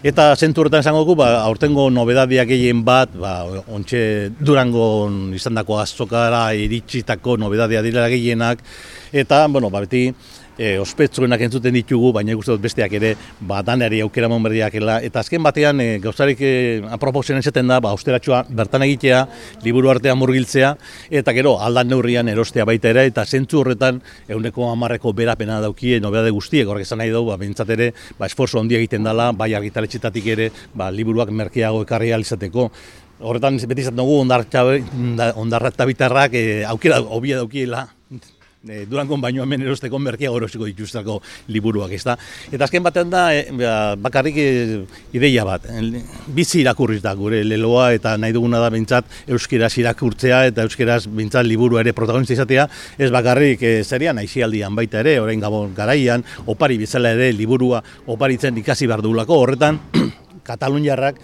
Eta zentzu horretan esango dugu, aurtengo nobedadiak gehien bat, ontxe Durangon izandako azokara iritsitako nobedadea direla gehienak, eta, beti, ospetsuenak entzuten ditugu, baina guztiot besteak ere, danari aukera monberdiakela, eta azken batean gauzarik aproposen esaten da, austeratxoa bertan egitea, liburu artean murgiltzea, eta gero aldan neurrian erostea baita ere, eta zentzu horretan 110% berapena daukie nobedade guztiek, horrek esan nahi dugu, bintzat ere, esforzo handia egiten dela, bai argitaletxetatik ere, liburuak merkeago ekarri izateko. Horretan beti izan dugu ondarratabitarrak aukera hobia daukiela, Durangon baino hemen erosteko merkeago erosiko dituztako liburuak, ezta? Eta azken batean da, bakarrik ideia bat, bizi irakurriz da gure leloa, eta nahi duguna da bintzat euskeraz irakurtzea, eta euskeraz bintzat liburu ere protagonista izatea, ez bakarrik zerian aizialdian baita ere, orain gabon garaian, opari bezala ere liburua oparitzen ikasi behar dugulako, horretan, Kataluniarrak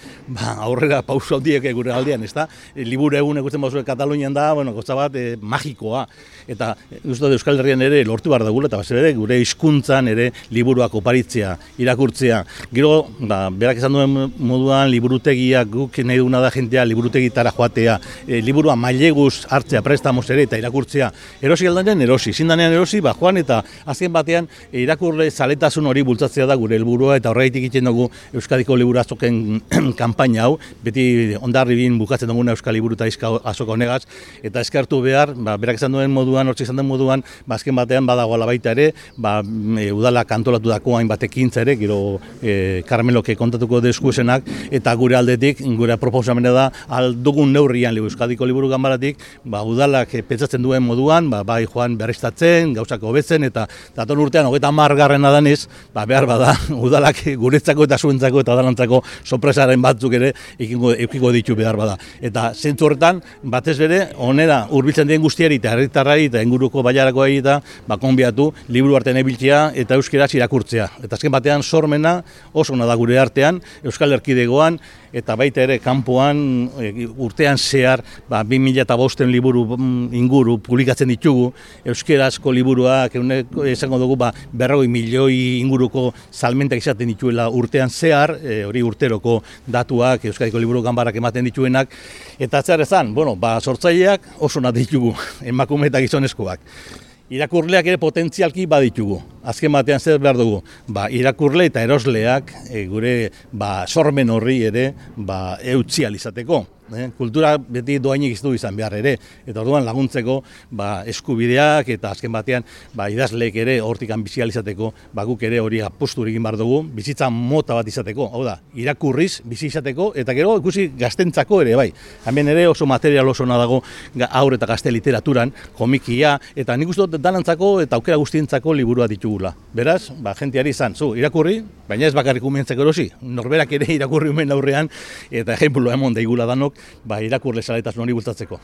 aurrera pauso handiek gure aldean, ezta? Liburu egun ikusten bauzue Katalunian da, gauza bat magikoa. Eta Euskal Herrian ere lortu behar dugula, eta ere gure hizkuntzan ere liburuak oparitzea, irakurtzea. Gero, berak esan duen moduan, liburutegiak guk nahi duguna da jentea liburutegitara joatea, liburua maileguz hartzea, prestamos ere, eta irakurtzea. Erosi aldanean erosi, zindanean erosi, joan eta azken batean irakurle zaletasun hori bultzatzea da gure helburua, eta horregatik egiten dugu Euskadiko liburu azoken kanpaina hau, beti Hondarribin bukatzen duguna Euskal Liburu eta Azoka honegaz, eta eskartu behar, berak esan duen moduan, hortzik esan duen moduan, azken batean badagoela baita ere, udala kantolatu dako hainbat ekintza ere, gero Karmeloke kontatuko deskuesenak, eta gure aldetik, gure proposamena da, aldugun neurrian Euskadiko Liburu Ganbaratik, udalak pentsatzen duen moduan, bai joan berriztatzen, gauzak hobetzen, eta datorren urtean, 30. danez, behar bada, udalak guretzako eta zuentzako eta dalantzako sorpresaren batzuk ere eukiko ditu behar bada. Eta zentzu horretan, batez bere, onera hurbiltzen dien guztiari eta herritarrari eta inguruko baiarakoa eta konbiatu liburu artean ebiltzea eta euskeraz irakurtzea. Eta azken batean sormena oso ona da gure artean, Euskal Erkidegoan, eta baita ere kanpoan urtean zehar 2005 liburu inguru publikatzen ditugu, euskerazko liburuak esango dugu 40 milioi inguruko salmentak izaten dituela urtean zehar, hori urteroko datuak Euskadiko Liburu Ganbarak ematen dituenak, eta zer ezan, sortzaileak oso nahi ditugu, emakume eta gizonezkoak. Irakurleak ere potentzialki baditugu. Azken batean zer behar dugu? Irakurle eta erosleak gure sormen horri ere eutzi izateko. Kultura beti doainik iztu izan behar ere, eta orduan laguntzeko eskubideak eta azken batean idazleek ere hortikan bizi izateko, guk ere hori apostu egin behar dugu, bizitza mota bat izateko, hau da, irakurriz bizi izateko, eta gero ikusi gaztentzako ere, bai. Hemen ere oso material oso dago haur eta gazte literaturan, komikia, eta nik uste dut danantzako eta aukera guztientzako liburua ditugula. Beraz, jentiari izan, irakurri, baina ez bakarrik umentzeko erosi, norberak ere irakurri umen aurrean, eta ejemplu emon daigula danok, irakurle zaletasun hori bultatzeko.